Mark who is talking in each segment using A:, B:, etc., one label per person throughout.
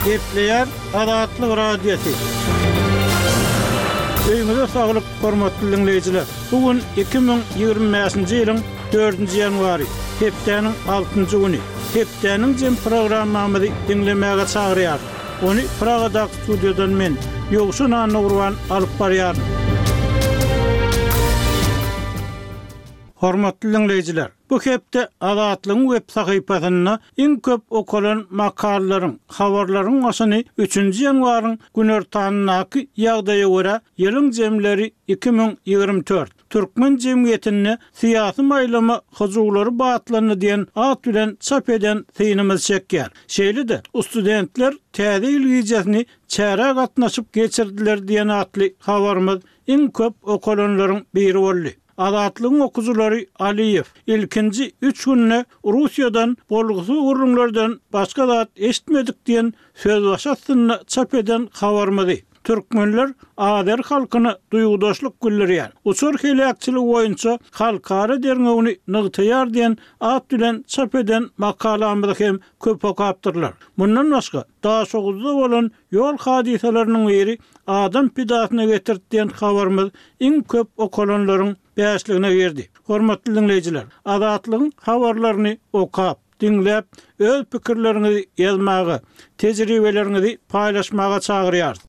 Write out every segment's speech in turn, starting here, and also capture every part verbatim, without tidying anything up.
A: Gepleýär Azatlyk Radiosy. Öýüňize saglyk, hormatly diňleýjiler! Bu gün iki müň ýigrimi bäşinji ýylyň dördünji ýanwary, hepdäniň altynjy güni. Hepdäniň jem programmamyzy diňlemäge çagyrýarys. Ony Pragadaky studiýadan men, Ýowşan Annagurban alyp barýaryn. Hormatly diňleýjiler, bu hepde Azatlygyň web sahypasynda iň köp okalan makalalaryň, habarlaryň başyny üçünji ýanwaryň günortanyndaky ýagdaýa görä ýylyň jemleri iki müň ýigrimi dört, türkmen jemgyýetinde syýasy maýlama hyjuwlary batlandy diýen at bilen çap eden synymyz çekýär. Şeýle-de, studentler Täze ýyl gijesini çärä gatnaşyp geçirdiler diýen atly habarymyz iň köp okalanlaryň biri boldy. Azatlygyň okyjylary Aliýew, ilkinji üç günde Russiýadan bolgusyz gürrüňlerden başga zat eşitmedik diýen sözbaşy astynda çap eden habarymyzy, Türkmenler azeri halkyna duýgudaşlyk bildirýär, uçar heläkçiligi boýunça halkara derňewini nygtaýar diýen at bilen çap eden makalamyzy hem köp okapdyrlar. Mundan başga, Daşoguzda bolan ýol hadysalarynyň biri adam pidasyna getirdi diýen habarymyz iň köp okalanlaryň bäşligine girdi. Hormatly diňleýjiler, Azatlygyň habarlaryny okap, diňläp, öz pikirleriňizi ýazmaga, tejribeleriňizi paýlaşmaga çagyrýarys.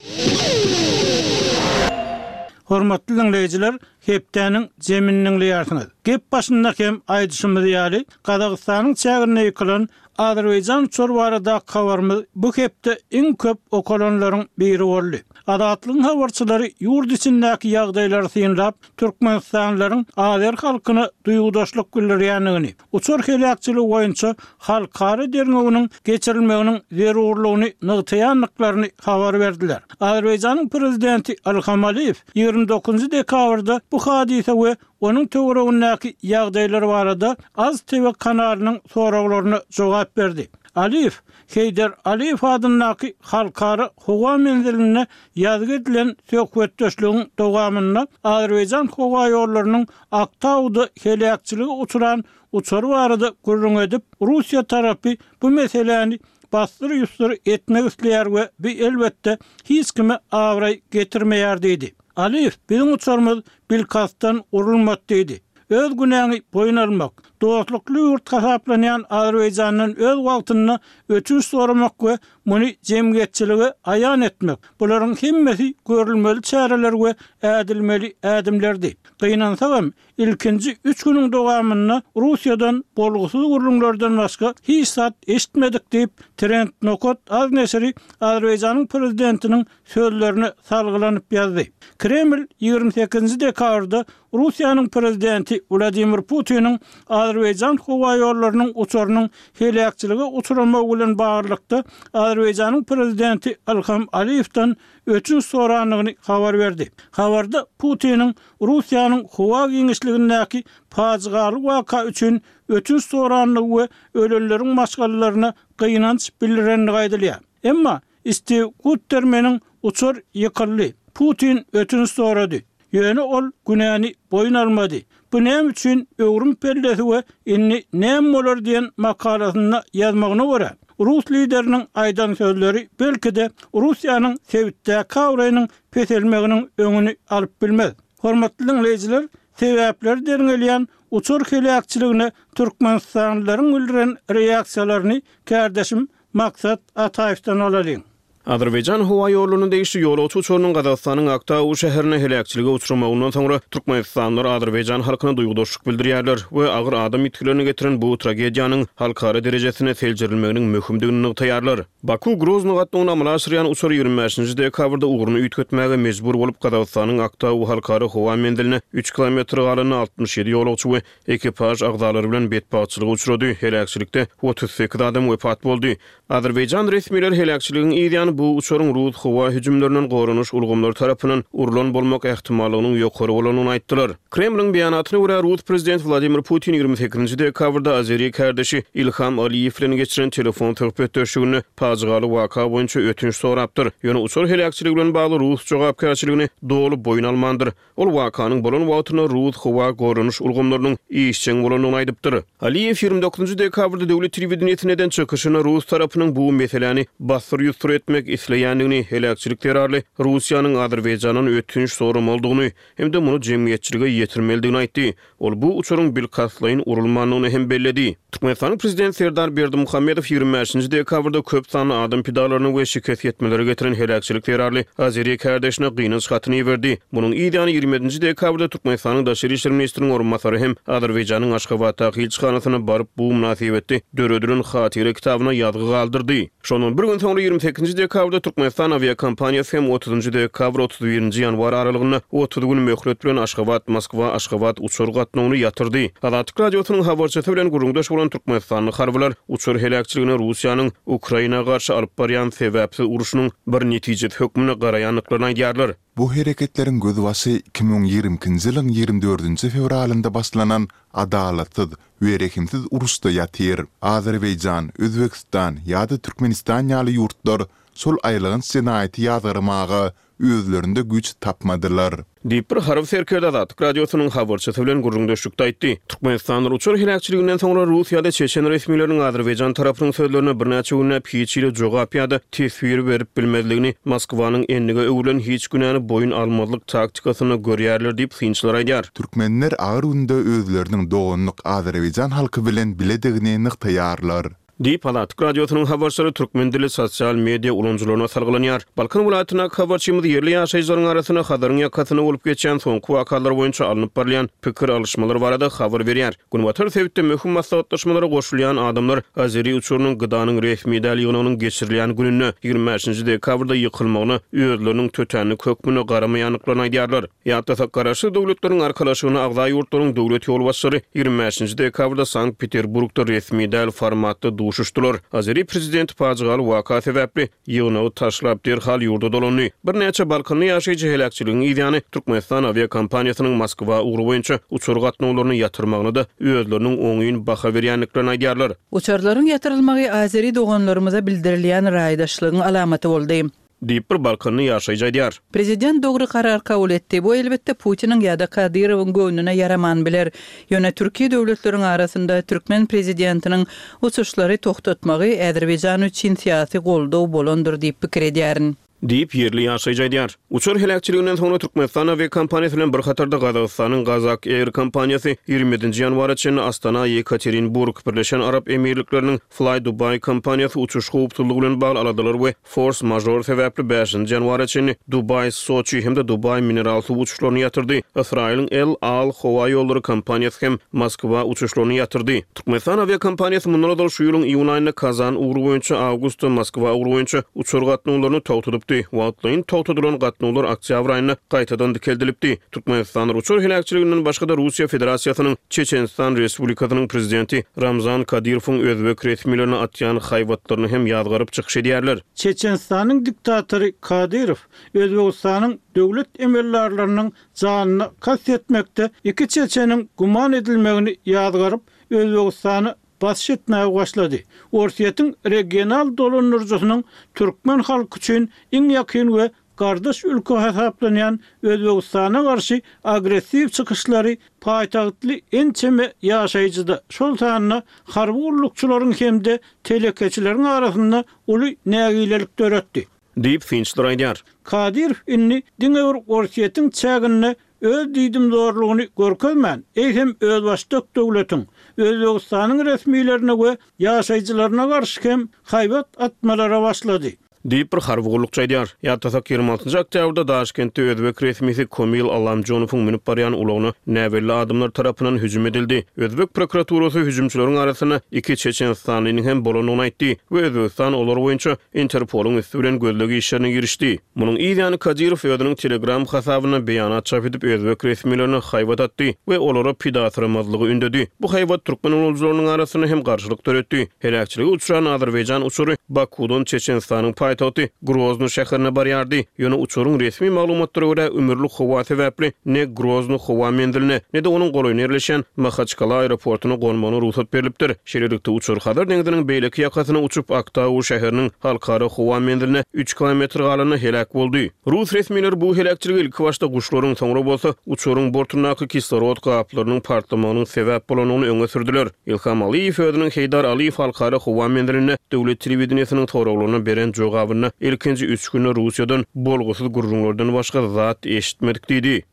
A: Hormatly diňleýjiler, hepdäniň jemini diňleýärsiňiz. Gep başynda hem aýdyşymyz ýaly, Gazagystanyň çäginde ýykylan Azerbaýjan uçary baradaky habarymyz bu hepde iň köp okalanlaryň biri boldy. Azatlygyň habarçylary ýurt içindäki ýagdaýlary synlap, türkmenistanlylaryň azer halkyna duýgudaşlyk bildirýändigini, uçar heläkçiligi boýunça halkara derňewiniň geçirilmeginiň zerurlygyny nygtaýandyklaryny habar berdiler. Azerbaýjanyň prezidenti Ilham Aliýew ýigrimi dokuzynjy dekabrda bu hadysa we onuň töweregindäki ýagdaýlar barada Az TV kanalynyň soraglaryna jogap berdi. Aliýew Heýder Aliýew adyndaky Halkara howa menzilinde ýazgy edilen söhbetdeşligiň dowamynda Azerbaýjan howaýollarynyň Aktauda heläkçilige uçran uçary barada gürrüň edip, Russiýa tarapy bu meseläni bassyr-ýussur etmek isleýär we bu elbetde hiç kime abraý getirmeýär diýdi. Aliýew, Biziň uçarymyz bilkastdan urulmady diýdi. Öz günäňi boýun almak, dostlukly ýurt hasaplanýan Azerbaýjandan öz wagtynda ötünç soramak we muny jemgyýetçilige aýan etmek, bularyň hemmesi görülmeli çäreler we ädilmeli ädimlerdi. Gynansagam, ilkinji üç günüň dowamynda Russiýadan bolgusyz gürrüňlerden başga hiç zat eşitmedik diýip, Trend nokat az neşiri Azerbaýjanyň prezidentiniň sözlerine salgylanyp ýazdy. Kreml ýigrimi sekizinji dekabrda Russiýanyň prezidenti Wladimir Putiniň Azerbaýjan howaýollarynyň uçarynyň heläkçilige uçramagy bilen baglylykda Azerbaýjanyň prezidenti Ilham Aliýewden ötünç sorandygyny habar berdi. Habarda Putiniň Russiýanyň howa giňişligindäki pajygaly waka üçin ötünç sorandygy we ölenleriň maşgalalaryna gynanç bildirendigi aýdylýar. Emma Stiw Guttermeniň uçar ýykyldy, Putin ötünç sorady. Ýöne ol günäni boýun almady. Bu näme üçin öwrüm pellesi we indi näme bolar diýen makalasynda ýazmagyna görä, rus lideriniň aýdan sözleri belki-de Russiýanyň sebitdäki abraýynyň peselmeginiň öňüni alyp bilmez. Hormatly diňleýjiler, sebäpleri derňelýän uçar heläkçiligine türkmenistanlylaryň bildiren reaksiýalaryny kärdeşim Maksat Ataýewden alalyň.
B: Azerbaýjan howa ýollaryna degişli ýolagçy uçarynyň Gazagystanyň Aktau şäherinde heläkçilige uçramagyndan soňra türkmenistanlylar azerbaýjan halkyna duýgudaşlyk bildirýärler we agyr adam ýitgilerine getiren bu tragediýanyň halkara derejesinde seljerilmeginiň möhümdigini nygtaýarlar. Baku-Grozny gatnawyny amala aşyrýan uçar ýigrimi bäşinji dekabrda ugruny üýtgetmäge mejbur bolup, Gazagystanyň Aktau halkara howa menziline üç kilometr galanda altmyş ýedi ýolagçy we Ekipaž agzalary bilen betbagtçylyga uçrady, heläkçilikde otuz sekiz adam wepat boldy. Azerbaýjan resmileri heläkçiligiň yz ýany ýykylan bu uçaryň rus howa hüjümlerinden goranyş ulgamlary tarapyndan urlan bolmak ähtimallygynyň ýokary bolandygyny aýtdylar. Kremliň beýanatyna görä, rus prezidenti Wladimir Putin ýigrimi sekizinji dekabrda azeri kärdeşi Ilham Aliýew bilen geçiren telefon söhbetdeşliginde pajygaly waka boýunça ötünç sorapdyr. Ýöne uçar heläkçiligi bilen bagly rus jogapkärçiligini doly boýun almandyr. Ol wakanyň bolan wagtynda rus howa goranyş ulgamlarynyň işjeň bolandygyny aýdypdyr. Aliýew ýigrimi dokuzynjy dekabrda döwlet telewideniýesinde eden çykyşynda rus tarapynyň bu meseläni bassyr-ýusur etmek isleýändigini, heläkçilik zerarly Russiýanyň Azerbaýjandan ötünç soramalydygyny hem-de muny jemgyýetçilige ýetirmelidigini aýtdy. Ol bu uçaryň bilkastlaýyn urulmandygyny hem belledi. Türkmenistanyň Prezidenti Serdar Berdimuhamedow ýigrimi bäşinji dekabrda köp sanly adam pidalaryna we şikes ýetmelere getiren heläkçilik zerarly azeri kärdeşine gynanç hatyny iberdi. Munuň yz ýany ýigrimi ýedinji dekabrda Türkmenistanyň Daşary işler ministriniň orunbasary hem Azerbaýjanyň Aşgabatdaky ilçihanasyna baryp, bu mynasybetli döredilen hatyra kitabyna ýazgy galdyrdy. Şondan bir gün soňra ýigrimi sekizinji dekabrda Türkmenistan awiakompaniýasy hem otuzynjy dekabr-otuz birinji ýanwar aralygynda otuz gün möhlet bilen Aşgabat-Moskwa, Aşgabat uçar gatnawyny ýatyrdy. Azatlyk Radiosynyň habarçysy bilen gürrüňdeş bolan türkmenistanly harbylar uçar heläkçiligine Russiýanyň Ukraina garşy alyp barýan sebäpsiz urşunyň bir netijesi hökmünde garaýandyklaryny aýdýarlar.
C: Bu hereketleriň gözbaşy iki müň ýigrimi ikinji ýylyň ýigrimi dördünji fewralynda başlanan adalatsyz we rehimsiz uruşda ýatyr. Azerbaýjan, Özbegistan ýa-da Türkmenistan ýaly ýurtlar şol aýylganç jenaýaty ýazgarmaga özlerinde güýç tapmadylar.
B: Diýip, bir harby serkerde Azatlyk Radiosynyň habarçysy bilen gürrüňdeşlikde aýtdy. Türkmenistanda uçar heläkçiliginden soňra rus ýa-da çeçen resmileriniň azerbaýjan tarapynyň sözlerine birnäçe günläp hiç hili jogap ýa-da teswir berip bilmezligini Moskwanyň endige öwrülen hiç günäni boýun almazlyk taktikasynda görýärler diýip, synçylar aýdýar.
C: Türkmenler agyr günde özleriniň doganlyk azerbaýjan halky bilen biledigini nygtaýarlar.
B: Diýip, Azatlyk Radiosynyň habarçylary türkmen dilli sosial media ulanyjylaryna salgylanýar. Balkan welaýatyndaky habarçymyz ýerli ýaşaýjylaryň arasynda Hazaryň ýakasynda bolup geçýän soňky wakalar boýunça alnyp barylýan pikir alyşmalar barada habar berýär. Günbatar sebitde möhüm maslahatlaşmalara goşulýan adamlar azeri uçarynyň GDA-nyň resmi däl ýygnagynyň geçirilýän gününde, ýigrimi bäşinji dekabrda ýykylmagyna özleriniň tötänlik hökmünde garamaýandyklaryny aýdýarlar. Ýatlasak, Garaşsyz Döwletleriň Arkalaşygyna agza ýurtlaryň döwlet ýolbaşçylary ýigrimi bäşinji dekabrda Sankt-Peterburgda resmi däl formatda duşuşdylar. Azeri prezidenti pajygaly waka sebäpli ýygnagy taşlap, derhal ýurda dolandy. Birnäçe balkanly ýaşaýjy heläkçiligiň yzýany Türkmenistan awiakompaniýasynyň Moskwa ugry boýunça uçar gatnawlaryny ýatyrmagyna-da özleriniň oňyn baha berýändiklerini aýdýarlar.
D: Uçarlaryň ýatyrylmagy azeri doganlarymyza bildirilýän raýdaşlygyň alamaty boldy.
B: Diýip, bir balkanly ýaşaýjy aýdýar.
D: Prezident dogry karar kabul etdi. Bu, elbetde, Putiniň ýa-da Kadyrowyň göwnüne ýaraman biler. Ýöne türki döwletleriň arasynda türkmen prezidentiniň uçuşlary togtatmagy Azerbaýjan üçin syýasy goldaw bolandyr diýip pikir edýärin.
B: Diýip, ýerli ýaşaýjy aýdýar. Uçar heläkçiliginden soňra Türkmenistan awiakompaniýasy bilen bir hatarda Gazagystanyň Gazak Air kompaniýasy ýigrimi ýedinji ýanwara çenli Astana, Ýekaterinburg, Birleşen Arap Emirlikleriniň Fly Dubai kompaniýasy uçuş howpsuzlygy bilen bagly aladalar we fors-mažor sebäpli bäşinji ýanwara çenli Dubaý, Soçi hem-de Dubaý mineral suw uçuşlaryny ýatyrdy. Ysraýylyň El Al howa ýollary kompaniýasy hem Moskwa uçuşlaryny ýatyrdy. Türkmenistan awiakompaniýasy mundan ozal şu ýylyň iýun aýynda Kazan ugry boýunça, awgustda Moskwa ugry boýunça uçar gatnawlaryny togtadypdy. Wagtlaýyn togtadylan gatnawlar oktýabr aýynda gaýtadan dikeldilipdi. Türkmenistanyň uçar heläkçiliginden başga-da Russiýa Federasiýasynyň Çeçenistan Respublikasynyň Prezidenti Ramzan Kadyrowyň özbek resmilerine atýan haýbatlaryny hem ýazgaryp çykyş edýärler.
A: Çeçenistanyň diktatory Kadyrow Özbegistanyň döwlet emeldarlarynyň janyna kast etmekde iki çeçeniň güman edilmegini ýazgaryp, Özbegistana basyş etmäge başlady. Orsýetiň regional dolandyryjysynyň türkmen halky üçin iň ýakyn we gardaş ülke hasaplanýan Özbegistana garşy agressiw çykyşlary paýtagtly ençeme ýaşaýjyda, şol sanda harby gullukçylaryň hem-de telekeçileriň arasynda uly nägilelik döretdi.
B: Diýip, synçylar aýdýar.
A: Kadyrow indi diňe bir Orsýetiň çäginde öz diýdimzorlugyny görkezmän, eýsem özbaşdak döwletiň, Özbegistanyň resmilerine we ýaşaýjylaryna garşy hem haýbat atmalara başlady.
B: Diýip, bir harby gullukçy aýdýar. Ýatlasak, ýigrimi altynjy oktýabrda Daşkentde özbek resmisi Komil Allamjonowyň münüp barýan ulagyna näbelli adamlar tarapyndan hüjüm edildi. Özbek prokuraturasy hüjümçileriň arasynda iki çeçenistanlynyň hem bolandygyny aýtdy we Özbegistan olar boýunça Interpolyň üsti bilen gözleg işlerine girişdi. Munuň yz ýany Kadyrow özüniň Telegram hasabynda beýanat çap edip, özbek resmilerine haýbat atdy we olara pidasyramazlygy ündedi. Bu haýbat türkmen ulanyjylarynyň arasynda hem garşylyk döretdi. Heläkçilige uçran azerbaýjan uçary Bakuwdan Çeçenistanyň paýtagty Grozny şäherine barýardy. Ýöne uçaryň resmi maglumatlara görä ümürli howa sebäpli ne Grozny howa menziline, ne-de onuň golaýynda ýerleşýän Mahaçkala aeroportuna gonmagyna rugsat berlipdir. Şeýlelikde, uçar Hazar deňziniň beýleki ýakasyna uçup, Aktau şäheriniň halkara howa menziline üç kilometr galanda heläk boldy. Rus resmileri bu heläkçilige ilkibaşda guşlaryň, soňra bolsa uçaryň bortundaky kislorod gaplarynyň partlamagynyň sebäp bolandygyny öňe sürdüler. Ilham Aliýew özüniň Heýdar Aliýew halkara howa menzilinde döwlet telewideniýesiniň soraglaryna beren jogabynda ilkinji üç günde Russiýadan bolgusyz gürrüňlerden başga zat eşitmedik diýdi.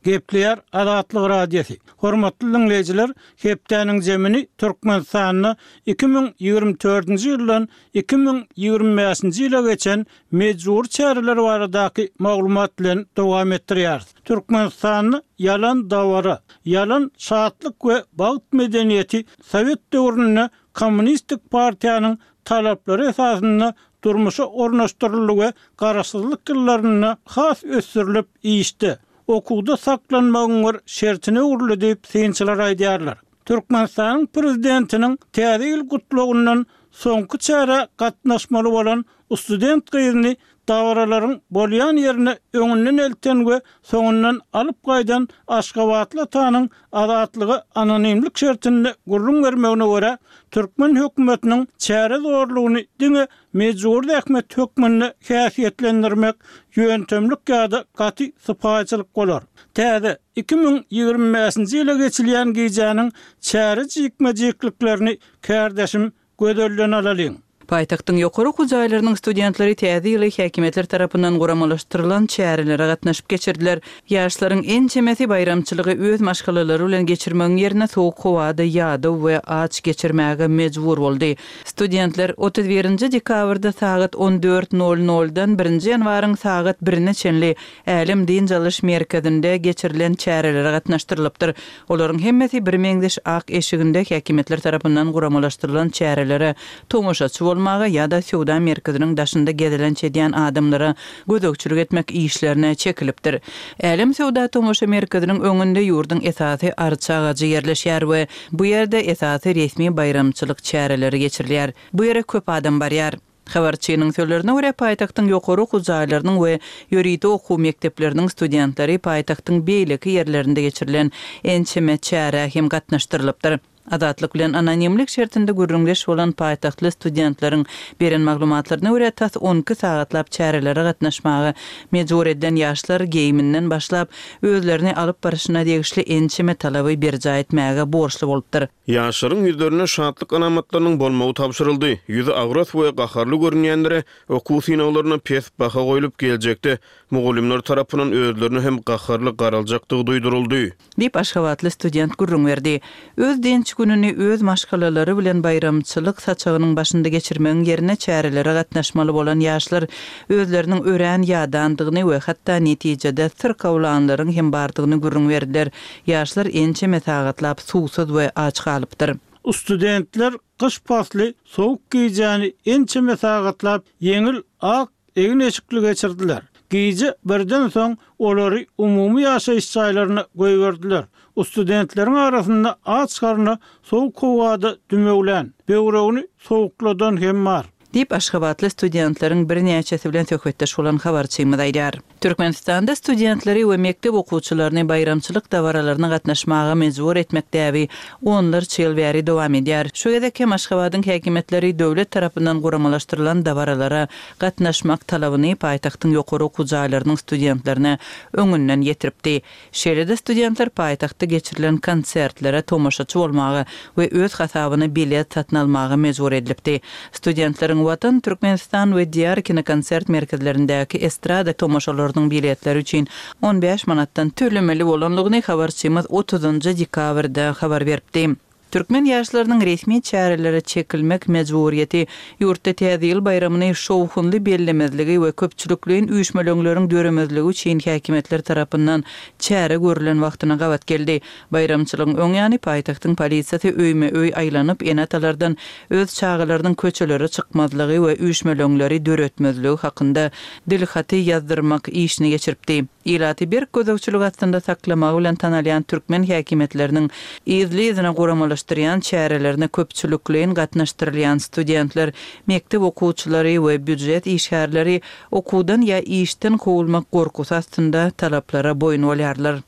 A: Gepleýär Azatlyk Radiosy. Hormatly diňleýjiler, hepdäniň zemini Türkmenistanda iki müň ýigrimi dördünji ýyldan iki müň ýigrimi bäşinji ýyla geçen mejbury çäreler baradaky maglumat bilen dowam etdirýäris. Türkmenistanda ýalan dabara, ýalan şatlyk we bagt medeniýeti Sowet döwründe Kommunistik partiýanyň talaplary esasynda durmuşa ornaşdyryldy we garaşsyzlyk ýyllarynda has ösdürilip işde, okuwda saklanmagyň bir şertine öwrüldi diýip synçylar aýdýarlar. Türkmenistanyň prezidentiniň Täze ýyl gutlagyndan soňky çärä gatnaşmaly bolan student gyzyny dabaralaryň bolýan ýerine öňünden elten we soňundan alyp gaýdan aşgabatly atanyň Azatlyga anonimlik şertinde gürrüň bermegine görä, türkmen hökümetiniň çäre zorlugyny diňe mejbury zähmet hökmünde häsiýetlendirmek ýöntemlik ýa-da gaty sypaýyçylyk bolar. Täze, iki müň ýigrimi bäşinji ýyla geçilýän gijäniň çäre jikme-jikliklerini kärdeşim Gözelden alalyň.
D: Paýtagtyň ýokary okuw jaýlarynyň studentleri Täze ýyly häkimiýetler tarapyndan guramalaşdyrylan çärelere gatnaşyp geçirdiler. Ýaşlaryň ençemesi baýramçylygy öz maşgalalary bilen geçirmegiň ýerine sowuk howada ýadaw we aç geçirmäge mejbur boldy. Studentler otuz birinji dekabrda sagat on dört nol noldan birinji ýanwaryň sagat birine çenli Älem dynç alyş merkezinde geçirilen çärelere gatnaşdyrylypdyr. Olaryň hemmesi birmeňzeş ak eşiginde häkimiýetler tarapyndan guramalaşdyrylan çärelere tomaşaçy bolmaga ýa-da söwda merkeziniň daşynda gezelenç edýän adamlara gözegçilik etmek işlerine çekilipdir. Älem söwda-tomaşa merkeziniň öňünde ýurduň esasy arça agajy ýerleşýär we bu ýerde esasy resmi baýramçylyk çäreleri geçirilýär. Bu ýere köp adam barýar. Habarçynyň sözlerine görä, paýtagtyň ýokary okuw jaýlarynyň we ýörite okuw mekdepleriniň studentleri paýtagtyň beýleki ýerlerinde geçirilen ençeme çärä hem gatnaşdyrylypdyr. Azatlyk bilen anonimlik şertinde gürrüňdeş bolan paýtagtly studentleriň beren maglumatlaryna görä, tas on iki sagatlap çärelere gatnaşmaga mejbur edilen ýaşlar geýiminden başlap, özlerini alyp baryşyna degişli ençeme talaby berjaý etmäge borçly bolupdyr.
B: Ýaşlaryň ýüzlerinde şatlyk alamatlarynyň bolmagy tabşyryldy. Ýüzi agras we gaharly görünýänlere okuw synaglarynda pes baha goýlup, geljekde mugallymlar tarapyndan özlerine hem gaharly garaljakdygy duýduryldy.
D: Diýip, aşgabatly student gürrüň berdi. Öz dynç gününi öz maşgalalary bilen baýramçylyk saçagynyň başynda geçirmegiň ýerine çärelere gatnaşmaly bolan ýaşlar özleriniň örän ýadandygyny we hatda netijede syrkawlanlaryň hem bardygyny gürrüň berdiler. Ýaşlar ençeme sagatlap suwsuz we aç galypdyr.
A: Studentler gyş pasly sowuk gijäni ençeme sagatlap ýeňil ak egin-eşikli geçirdiler. Gije birden soň olary umumy ýaşaýyş jaýlaryna goýberdiler. Studentleriň arasynda aç garna sowuk howada dümewlän, böwregini sowukladan hem bar.
D: Diýip, aşgabatly studentleriň birnäçesi bilen söhbetdeş bolan habarçymyz aýdýar. Türkmenistanda studentleri we mekdep okuwçylaryny baýramçylyk dabaralaryna gatnaşmaga mejbur etmek däbi onlarça ýyl bäri dowam edýär. Şu gezek hem Aşgabadyň häkimiýetleri döwlet tarapyndan guramalaşdyrylan dabaralara gatnaşmak talabyny paýtagtyň ýokary okuw jaýlarynyň studentlerine öňünden ýetiripdi. Şeýle-de studentler paýtagtda geçirilen konsertlere tomaşaçy bolmaga we öz hasabyna bilet satyn almaga mejbur edilipdi. Studentleriň Watan, Türkmenistan we Diýar kinokonsert merkezlerindäki estrada tomaşalarynyň biletleri üçin on bäş manatdan tölemeli bolandygyny habarçymyz otuzynjy dekabrda habar beripdi. Türkmen ýaşlarynyň resmi çärelere çekilmek mejburyýeti ýurtda Täze ýyl baýramyny şowhunly bellemezligi we köpçülikleýin üýşmeleňleriň döremezligi üçin häkimiýetler tarapyndan çäre görlen wagtyna gabat geldi. Baýramçylygyň öň ýany paýtagtyň polisiýasy öýme-öý aýlanyp, ene-atalardan öz çagalarynyň köçelere çykmazlygy we üýşmeleňleri döretmezligi hakynda dilhaty ýazdyrmak işini geçiripdi. Ilaty berk gözegçilik astynda saklamagy bilen tanalýan türkmen häkimiýetleriniň yzly-yzyna guramalaşdyran gymmatlaşdyrýan çärelerine köpçülikleýin gatnaşdyrylýan studentler, mekdep okuwçylary we býujet işgärleri okuwdan ýa işden kowulmak gorkusy astynda talaplara boýun bolýarlar.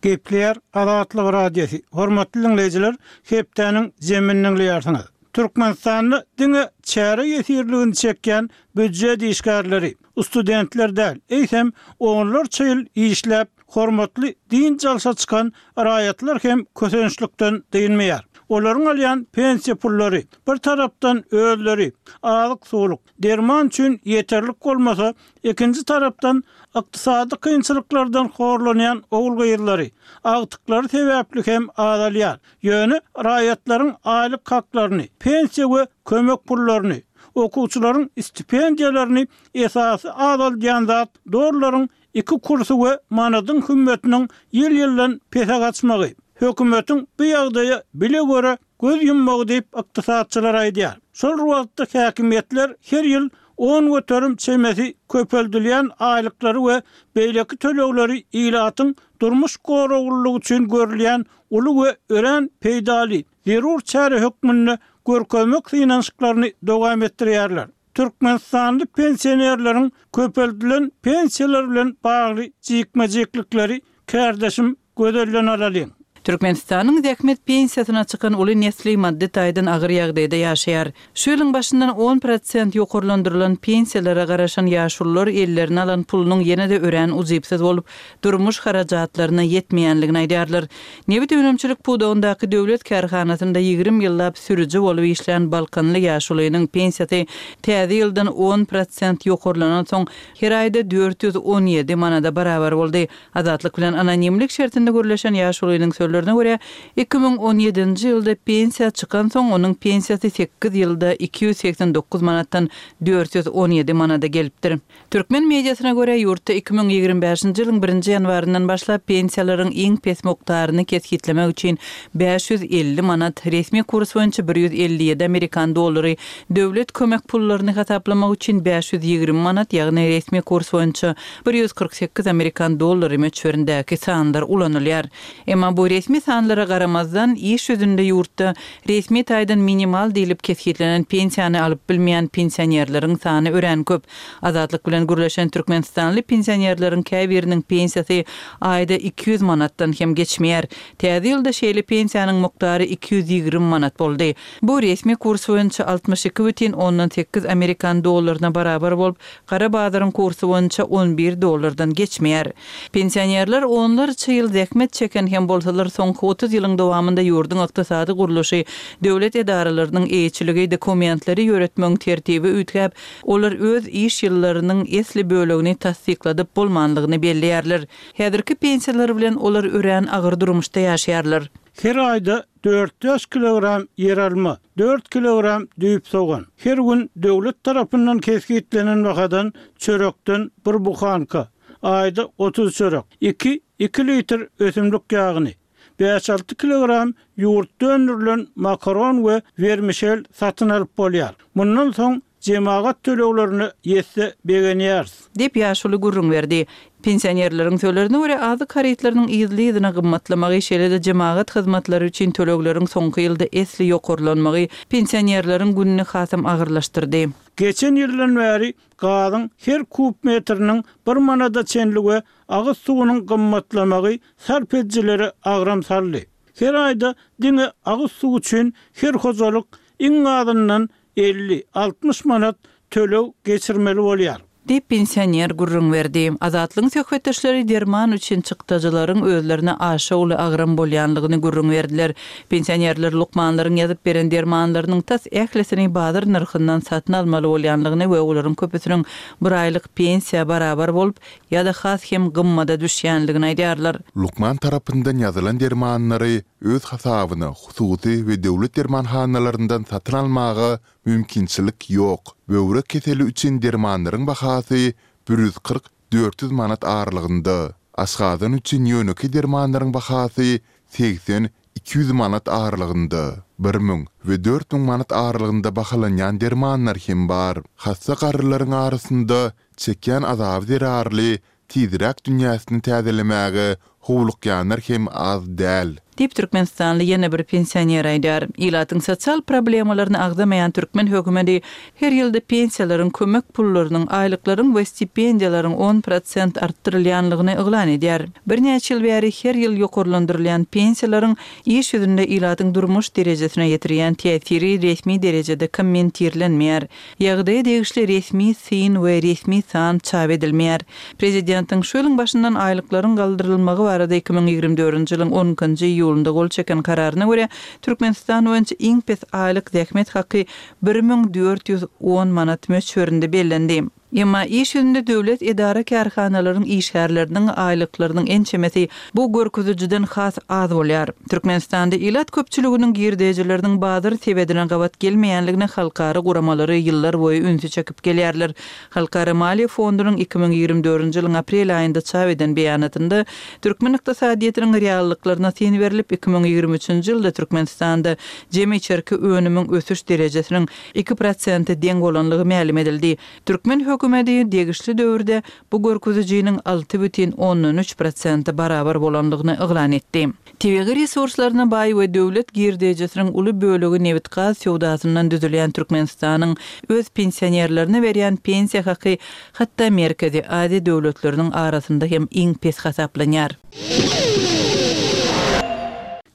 A: Gepleýär Azatlyk Radiosy. Hormatly diňleýjiler, hepdäniň jemini diňleýärsiňiz. Türkmenistanda diňe çäre ýesirligini çekýän býujet işgärleri, studentler däl, eýsem onlarça ýyl işläp, hormatly dynç alşa çykan raýatlar hem kösençlikden dynmaýar. Olaryň alýan pensiýa pullary bir tarapdan özleri azyk-suwluk, derman üçin ýeterlik bolmasa, ikinji tarapdan ykdysady kynçylyklardan horlanýan ogul-gyzlary, agtyklary sebäpli hem azalýar. Ýöne raýatlaryň aýlyk haklaryny, pensiýa we kömek pullaryny, okuwçylaryň stipendiýalaryny esasy azaldýan zat dollaryň iki kursy we manadyň hümmetiniň ýyl-ýyldan pese gaçmagy, hökümetiň bu ýagdaýa bile-göre göz ýummagy diýip, ykdysatçylar aýdýar. Şol bir wagtda häkimiýetler her ýyl on göterim çemesi köpeldilýän aýlyklary we beýleki tölegleri ilatyň durmuş goraglylygy üçin görülýän uly we örän peýdaly, zerur çäre hökmünde görkezmek synanyşyklaryny dowam etdirýärler. Türkmenistanly pensionerleriň köpeldilen pensiýalary bilen bagly jikme-jiklikleri kärdeşim Gözelden alalyň.
D: Türkmenistanyň zähmet pensiýasyna çykan uly nesli maddy taýdan agyr ýagdaýda ýaşaýar. Şu ýylyň başyndan on prosent ýokarlandyrylan pensiýalara garaşan ýaşulular ellerine alan pulunyň ýene-de örän ujypsyz bolup, durmuş harajatlaryna ýetmeýänligini aýdýarlar. Nebit önümçilik pudagyndaky döwlet kärhanasynda ýigrimi ýyllap sürüji bolup işlän balkanly ýaşulynyň pensiýasy täze ýyldan on prosent ýokarlanansoň, her aýda dört ýüz on ýedi manada barabar boldy. Azatlyk bilen anonimlik şertinde gürleşen ýaşulynyň sözlerine görä, iki müň on ýedinji ýylda pensiýa çykansoň, onuň pensiýasy sekiz ýylda iki ýüz segsen dokuz manatdan dört ýüz on ýedi manada gelipdir. Türkmen mediasyna görä, ýurtda iki müň ýigrimi bäşinji ýylyň birinji ýanwaryndan başlap pensiýalaryň iň pes mukdaryny kesgitlemek üçin bäş ýüz elli manat, resmi kurs boýunça bir ýüz elli ýedi amerikan dollary, döwlet kömek pullaryny hasaplamak üçin bäş ýüz ýigrimi manat, ýagny resmi kurs boýunça bir ýüz kyrk sekiz amerikan dollary möçberindäki sanlar ulanylýar. Emma bu resmi sanlara garamazdan, iş ýüzünde ýurtda resmi taýdan minimal diýlip kesgitlenen pensiýany alyp bilmeýän pensionerleriň sany örän köp. Azatlyk bilen gürleşen türkmenistanly pensionerleriň käbiriniň pensiýasy aýda iki ýüz manatdan hem geçmeýär. Täze ýylda şeýle pensiýanyň mukdary iki ýüz ýigrimi manat boldy. Bu resmi kurs boýunça altmyş iki bütin ondan sekiz amerikan dollaryna barabar bolup, gara bazaryň kursy boýunça on bir dollardan geçmeýär. Pensionerler onlarça ýyl zähmet çeken hem bolsalar, soňky otuz ýylyň dowamynda ýurduň ykdysady gurluşy, döwlet edaralarynyň eýeçiligi, dokumentleri ýöretmegiň tertibi üýtgäp, olar öz iş ýyllarynyň esli bölegini tassykladyp bolmanlygyny belleýärler. Häzirki pensiýalar bilen olar örän agyr durmuşda ýaşaýarlar.
A: Her aýda dört-bäş kilogram ýeralma, dört kilogram düýp sogan, her gün döwlet tarapyndan kesgitlenen bahadan çörekden bir buhanka, aýda otuz çörek, iki, iki litr ösümlik ýagyny, bäş-alty kilogram ýurtda öndürilen makaron we wermişel satyn alyp bolýar. Mundan soň jemagat töleglerine ýetse begenýäris.
D: Diýip, ýaşuly gürrüň berdi. Pensionerleriň sözlerine görä, azyk harytlarynyň yzly-yzyna gymmatlamagy, şeýle-de jemagat hyzmatlary üçin tölegleriň soňky ýylda esli ýokarlanmagy pensionerleriň gününi hasam agyrlaşdyrdy.
A: Geçen ýyldan bäri gazyň her kub metriniň bir manada çenli we agyz suwunyň gymmatlamagy sarp edijilere agram saldy. Her aýda diňe agyz suwy üçin her hojalyk iň azyndan elli, altmyş manat töleg geçirmeli bolýar.
D: Diýip, pensioner gürrüň berdi. Azatlygyň söhbetdeşleri derman üçin çykdajylaryň özlerine aşa uly agram bolýanlygyny gürrüň berdiler. Pensionerler lukmanlaryň ýazyp beren dermanlarynyň tas ählisini bazar nyrhyndan satyn almaly bolýanlygyny we olaryň köpüsiniň bir aýlyk pensiýa barabar bolup ýa-da has hem gymmada düşýänligini aýdýarlar.
C: Lukman tarapyndan ýazylan dermanlary öz hasabyna hususy we döwlet dermanhanalaryndan satyn almaga mümkinçilik ýok. Böwrek keseli üçin dermanlaryň bahasy bir ýüz kyrk, dört ýüz manat aralygynda. Aşgazan üçin ýönekeý dermanlaryň bahasy segsen, iki ýüz manat aralygynda. Bir müň we dört müň manat aralygynda bahalanýan dermanlar hem bar. Hassa garrylaryň arasynda çekýän azaby zerarly tizräk dünýäsini täzelemäge howlukýanlar hem az däl.
D: Diýip, türkmenistanly ýene bir pensioner aýdýar. Ilatyň sosial problemalaryny agzamaýan türkmen hökümeti her ýylda pensiýalaryň, kömek pullarynyň, aýlyklaryň we stipendiýalaryň on prosent artdyrylýanlygyny yglan edýär. Birnäçe ýyl bäri her ýyl ýokarlandyrylýan pensiýalaryň iş ýüzünde ilatyň durmuş derejesine ýetirýän täsiri resmi derejede kommentirlenmeýär. Ýagdaýa degişli resmi syn we resmi san çap edilmeýär. Prezidentiň şu ýylyň başyndan aýlyklaryň galdyrylmagy barada iki müň ýigrimi dördünji ýylyň on ikinji iýulynda gol çeken kararyna görä, Türkmenistan boýunça iň pes aýlyk zähmet haky bir müň dört ýüz on manat möçberinde bellendi. Emma iş ýüzünde döwlet edara-kärhanalaryň işgärleriniň aýlyklarynyň ençemesi bu görkezijiden has az bolýar. Türkmenistanda ilat köpçüliginiň girdejileriniň bazar sebedine gabat gelmeýänligine halkara guramalary ýyllarboýy ünsi çekip gelýärler. Halkara maliýe fondunyň iki müň ýigrimi dördünji ýylyň aprel aýynda çap eden beýanatynda türkmen ykdysadyýetiniň reallyklaryna syn berlip, iki müň ýigrimi üçünji ýylda Türkmenistanda jemi içerki önümiň ösüş derejesiniň iki prosente deň bolanlygy mälim edildi. Türkmen hökümeti degişli döwürde bu görkezijiniň alty bütin ondan üç prosente barabar bolanlygyny yglan etdi. Tebigy resurslaryna baý we döwlet girdeýjisiniň uly bölegi nebit-gaz söwdasyndan düzülýän Türkmenistanyň öz pensionerlerine berýän pensiýa haky hatda Merkezi Aziýa döwletleriniň arasynda hem iň pes hasaplanýar.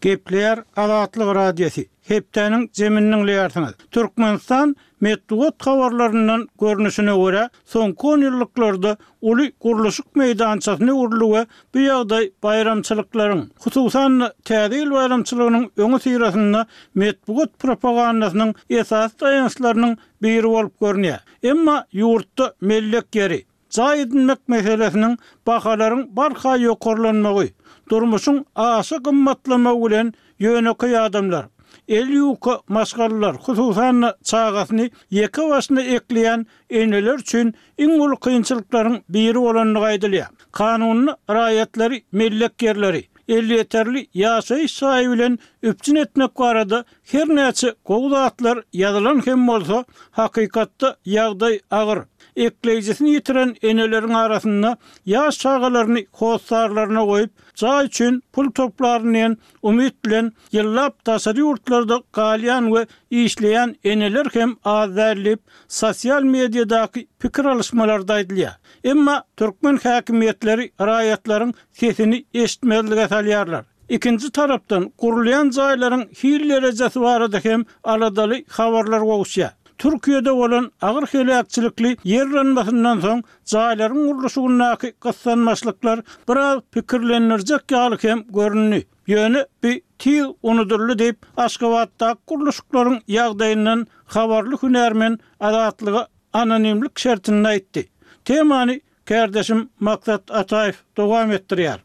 A: Gepleýär Azatlyk Radiosy. Hepdäniň zemini diňleýärsiňiz. Türkmenistan metbugat habarlaryndan görnüşine görä, soňky on ýyllyklarda uly gurluşyk meýdançasyny gurdy we bu ýagdaý baýramçylyklaryň, hususan-da Täze ýyl baýramçylygynyň öňi syrasynda metbugat propagandasynyň esasy daýançlarynyň biri bolup görünýär. Emma ýurtda mellek ýeri, jaý edinmek meselesiniň bahalaryň barha ýokarlanmagy, durmuşyň aşa gymmatlamagy bilen ýönekeý adamlar, el ýuka maşgalalar, hususan-da çagasyny ýeke başyna ekleýän eneler üçin iň uly kynçylyklaryň biri bolandygy aýdylýar. Kanunda raýatlary mellek ýerleri, elýeterli ýaşaýyş jaýy bilen üpjün etmek barada her näçe gowy zatlar ýazylan hem bolsa, hakykatda ýagdaý agyr. Ekleýjisini ýitiren eneleriň arasynda ýaş çagalaryny hossarlaryna goýup, jaý üçin pul toplaryn diýen umyt bilen ýyllap daşary ýurtlarda galýan we işleýän eneler hem az däl diýip, sosial mediadaky pikir alyşmalarda aýdylýar. Emma türkmen häkimiýetleri raýatlaryň sesini eşitmezlige salýarlar. Ikinji tarapdan gurulýan jaýlaryň hil derejesi barada hem aladaly habarlar gowuşýar. Türkiýede bolan agyr heläkçilikli ýer yranmasyndan soň jaýlaryň gurluşygyndaky gyssanmaçlyklar biraz pikirlendirjek ýaly hem göründi. Ýöne bi tiz unudyldy diýip, Aşgabatdaky gurluşyklaryň ýagdaýyndan habarly hünärmen Azatlyga anonimlik şertinde aýtdy. Temany kärdeşim Maksat Ataýew dowam etdirýär.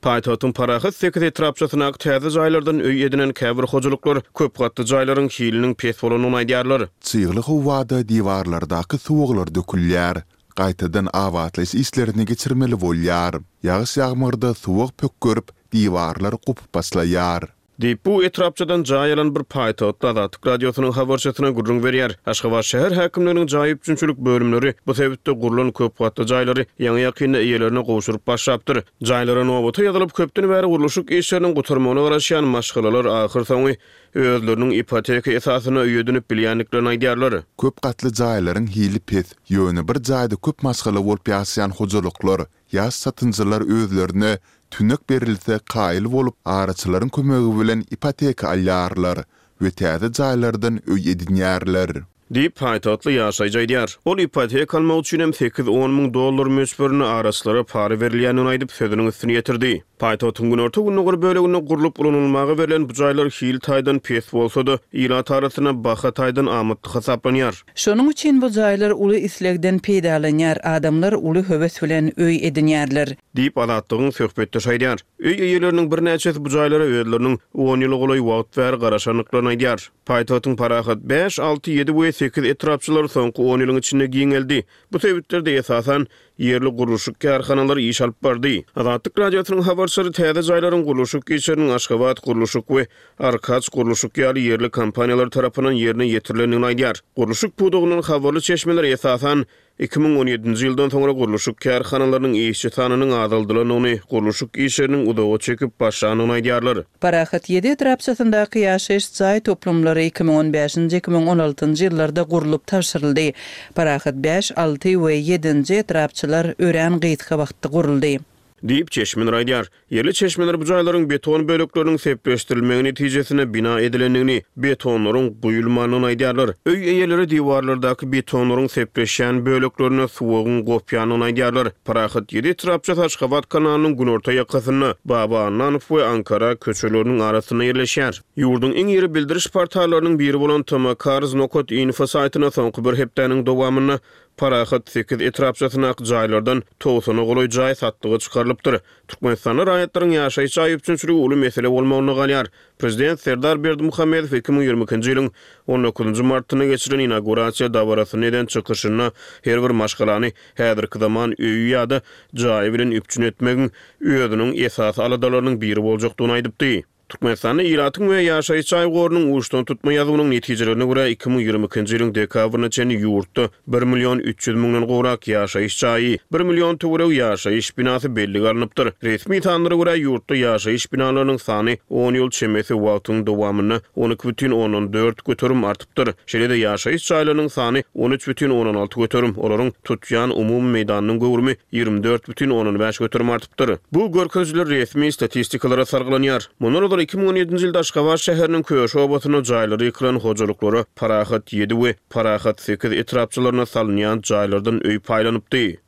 B: Paýtagtyň Parahat sekiz etrapçasyndaky täze jaýlardan öý edinen käbir hojalyklar köp gatly jaýlaryň hiliniň pes bolandygyny aýdýarlar.
C: Çygly howada diwarlardaky suwaglar dökülýär. Gaýtadan abatlaýyş işlerini geçirmeli bolýar. Ýagyş-ýagmyrda suwag pökgerip, diwarlar gopup başlaýar.
B: Diýip, bu etrapçadan jaý alan bir paýtagtly Azatlyk Radiosynyň habarçysyna gürrüň berýär. Aşgabat şäher häkimliginiň jaý üpjünçilik bölümleri bu sebitde gurlan köp gatly jaýlary ýaňy-ýakynda eýelerine gowşuryp başlapdyr. Jaýlara nobata ýazylyp, köpden bäri gurluşyk işleriniň gutarmagyna garaşýan maşgalalar ahyrsoňy özleriniň ipoteka esasynda öý edinip bilýändiklerini aýdýarlar.
C: Köp gatly jaýlaryň hili pes, ýöne bir jaýda köp maşgala bolup ýaşaýan hojalyklar, ýaş satynjylar özlerine tünek berilse kaýyl bolup, araçylaryň kömegi bilen ipoteka alýarlar we täze jaýlardan öý edinýärler.
B: Diýip, paýtagtly ýaşaýjy aýdýar. Ol ipoteka almak üçin hem sekiz-on müň dollar möçberinde araçylara para berilýändigini aýdyp, sözüniň üstüni ýetirdi. Paýtagtyň günorta-gündogar böleginde gurlup ulanylmaga berlen bu jaýlar hil taýdan pes bolsa-da, ilat arasynda baha taýdan amatly hasaplanýar.
D: Şonuň üçin bu jaýlar uly islegden peýdalanýar, adamlar uly höwes bilen öý edinýärler.
B: Diýip, Azatlygyň söhbetdeşi aýdýar. Öý eýeleriniň birnäçesi bu jaýlara özleriniň on ýyla golaý wagt bäri garaşandyklaryny aýdýar. Paýtagtyň Parahat bäş, alty, ýedi we sekiz etrapçalary soňky on ýylyň içinde giňeldi. Bu sebitlerde esasan ýerli gurluşyk kärhanalary iş alyp bardy. Azatlyk Radiosynyň habarçylary täze jaýlaryň gurluşyk işleriniň Aşgabat gurluşyk we Arkaç gurluşyk ýaly ýerli kompaniýalar tarapyndan ýerine ýetirilendigini aýdýar. Gurluşyk pudagyndan habarly çeşmeler esasan iki müň on ýedinji ýyldan soňra gurluşyk kärhanalarynyň işçi sanynyň azaldylandygyny, gurluşyk işleriniň uzaga çekip başlandygyny aýdýarlar.
D: Parahat ýedi etrapçasyndaky ýaşaýyş jaý toplumlary iki müň on bäşinji, iki müň on altynjy ýyllarda gurlup tabşyryldy. Parahat bäş, alty we ýedinji etrapçalar örän gysga wagtda guruldy.
B: Diýip, çeşmeler aýdýar. Ýerli çeşmeler bu jaýlaryň beton bölekleriniň sepleşdirilmegi netijesinde bina edilendigini, betonlaryň guýulmandygyny aýdýarlar. Öý eýeleri diwarlardaky betonlaryň sepleşýän böleklerine suwagyň gopýandygyny aýdýarlar. Parahat ýedi etrapçasy Aşgabat kanalynyň günorta ýakasynda, Baba Annanow we Ankara köçeleriniň arasynda ýerleşýär. Ýurduň iň iri bildiriş portallarynyň biri bolan tmcars nokat info saýtyna soňky bir hepdäniň dowamynda Parahat sekiz etrapçasyndaky jaýlardan togsana golaý jaý satlyga çykarylypdyr. Türkmenistanda raýatlaryň ýaşaýyş jaý üpjünçiligi uly mesele bolmagynda galýar. Prezident Serdar Berdimuhamedow iki müň ýigrimi ikinji ýylyň on dokuzynjy martynda geçirilen inaugurasiýa dabarasynda eden çykyşynda her bir maşgalany häzirki zaman öýi ýa-da jaýy bilen üpjün etmegiň özüniň esasy aladalarynyň biri boljakdygyny aýdypdy. Türkmenistanda ilatyň we ýaşaýyş jaý gorunyň uçdan tutma ýazuwynyň netijelerine görä, iki müň ýigrimi ikinji ýylyň dekabryna çenli ýurtda bir million üç ýüz müňden gowrak ýaşaýyş jaýy, bir million töweregi ýaşaýyş binasy bellige alnypdyr. Resmi sanlara görä, ýurtda ýaşaýyş binalarynyň sany on ýyl çemesi wagtyň dowamynda on iki bütin ondan dört göterim artypdyr. Şeýle-de ýaşaýyş jaýlarynyň sany on üç bütin ondan alty göterim, olaryň tutýan umumy meýdanynyň göwrümi ýigrimi dört bütin ondan bäş göterim artypdyr. Bu görkezijiler resmi statistikalara salgylanýar. Mundan ozal iki müň on ýedinji ýylda Aşgabat şäheriniň Köşi obasynda jaýlary ýykylan hojalyklara Parahat ýedi we Parahat sekiz etrapçalaryna salynýan jaýlardan öý paýlanypdy.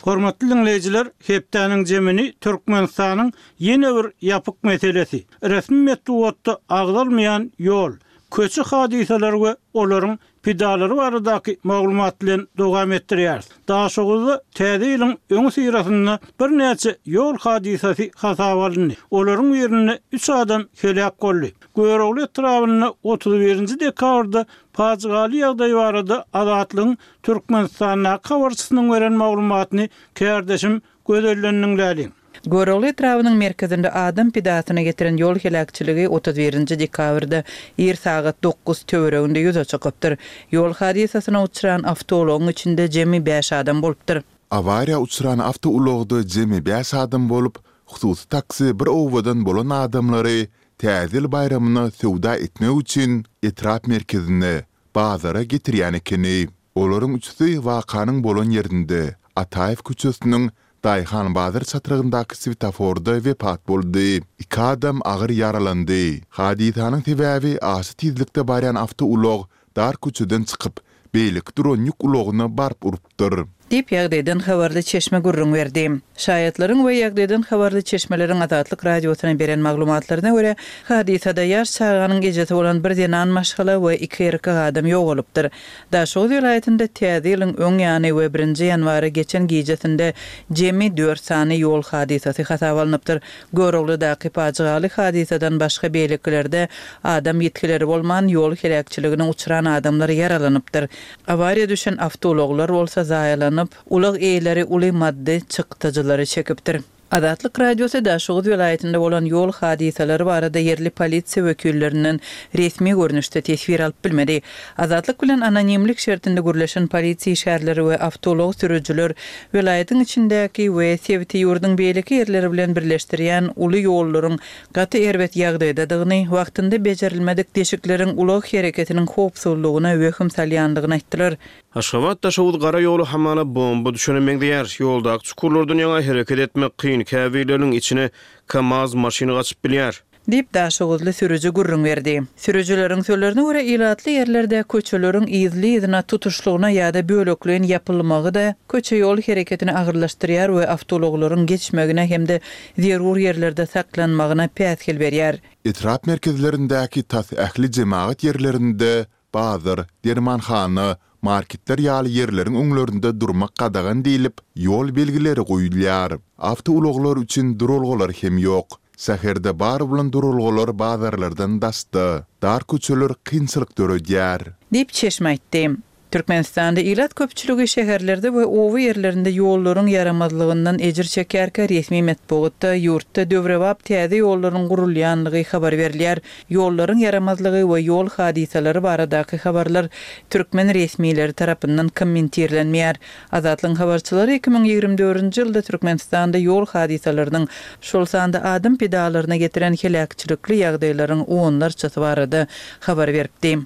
A: Hormatly diňleýjiler, hepdäniň jemini Türkmenistanyň ýene bir ýapyk meselesi, resmi metbugatda agzalmaýan ýol, köçe hadysalary we olaryň pidalary baradaky maglumat bilen dowam etdirýäris. Daşoguzda täze ýylyň öňi syrasynda birnäçe ýol hadysasy hasaba alyndy. Olaryň birinde üç adam heläk boldy. Görogly etrabynda otuz birinji dekabrda pajygaly ýagdaý barada Azatlygyň Türkmenistandaky habarçysynyň beren maglumatyny kärdeşim Gözellendiň läliň.
D: Görogly etrabynyň merkezinde adam pidasyna getiren ýol heläkçiligi otuz birinji dekabrda ir sagat dokuz töwereginde ýüze çykypdyr. Ýol hadysasyna uçran awtoulagyň içinde jemi bäş adam bolupdyr.
C: Awariýa uçran awtoulagda jemi bäş adam bolup, hususy taksi bir obadan bolan adamlary Täze ýyl baýramyna söwda etmek üçin etrap merkezine, bazara getirýän ekeni. Olaryň üçüsi wakanyň bolan ýerinde, Ataýew köçesiniň Daýhan bazar çatrygyndaky swetoforda wepat boldy. Iki adam agyr ýaralandy. Hadysanyň sebäbi aşa tizlikde barýan awtoulag dar köçeden çykyp, beýleki duran ýük ulagyna baryp urupdyr.
D: Diýip, ýagdaýdan habarly çeşme gürrüň berdi. Şaýatlaryň we ýagdaýdan habarly çeşmeleriň Azatlyk Radiosyna beren maglumatlaryna görä, hadysada ýaş çaganyň ejesi bolan bir zenan maşgala we iki erkek adam ýogalypdyr. Daşoguz welaýatynda Täze ýylyň öň ýany we birinji ýanwara geçen gijesinde jemi dört sany ýol hadysasy hasaba alnypdyr. Göroglydaky pajygaly hadysadan başga beýlekilerde adam ýitgileri bolman, ýol heläkçiligine uçran adamlar ýaralanypdyr. Awariýa düşen awtoulaglar bolsa zaýalanyp, ulag eýeleri uly maddy çykdajylary çekipdir. Azatlyk Radiosy Daşoguz welaýatynda bolan ýol hadysalary barada ýerli polisiýa wekillerinden resmi görnüşde teswir alyp bilmedi. Azatlyk bilen anonimlik şertinde gürleşen polisiýa işgärleri we awtoulag sürüjiler welaýatyň içindäki we sebiti ýurduň beýleki ýerleri bilen birleşdirýän uly ýollaryň gaty erbet ýagdaýdadygyny, wagtynda bejerilmedik deşikleriň ulag hereketiniň howpsuzlygyna wehim salýandygyny aýtdylar.
B: Aşgabat-Daşoguz gara ýoly hamala bomba düşene meňzeýär. Ýoldaky çukurlardan ýaňa hereket etmek kyn, käbirleriniň içine KAMAZ maşyny gaçyp bilýär.
D: Diýip, daşoguzly sürüji gürrüň berdi. Sürüjileriň sözlerine görä, ilatly ýerlerde köçeleriň yzly-yzyna tutuşlygyna ýa-da bölekleýin ýapylmagy-da köçe-ýol hereketini agyrlaşdyrýar we awtoulaglaryň geçmegine hem-de zerur ýerlerde saklanmagyna päsgel berýär.
C: Etrap merkezlerindäki tas ähli jemagat ýerlerinde bazar, dermanhana, marketler ýaly ýerleriň öňlerinde durmak gadagan diýlip, ýol belgileri goýulýar. Awtoulaglar üçin duralgalar hem ýok. Şäherde bar bolan duralgalar bazarlardan daşda. Dar köçeler kynçylyk döredýär.
D: Diýip, çeşme aýtdy. Türkmenistanda ilat köpçüligi şäherlerde we oba ýerlerinde ýollaryň ýaramazlygyndan ejir çekýärkä resmi metbugatda ýurtda döwrebap täze ýollaryň gurulýanlygy habar berilýär. Ýollaryň ýaramazlygy we ýol hadysalary baradaky habarlar türkmen resmileri tarapyndan kommentirlenmeýär. Azatlygyň habarçylary iki müň ýigrimi dördünji ýylda Türkmenistanda ýol hadysalarynyň, şol sanda adam pidalaryna getiren heläkçilikli ýagdaýlaryň onlarçasy barada habar beripdi.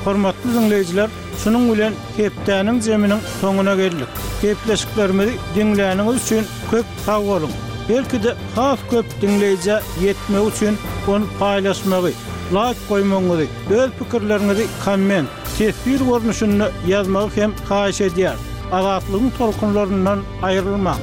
A: Hormatly diňleýjiler, şunuň bilen hepdäniň zeminiň soňuna geldik. Gepleşiklerimizi diňläniňiz üçin köp sag boluň. Belki-de has köp diňleýjä ýetmegi üçin ony paýlaşmagy, laýk goýmagyňyzy, öz pikirleriňizi komment, teswir görnüşinde ýazmagy hem haýyş edýäris. Azatlygyň tolkunlaryndan aýrylmaň.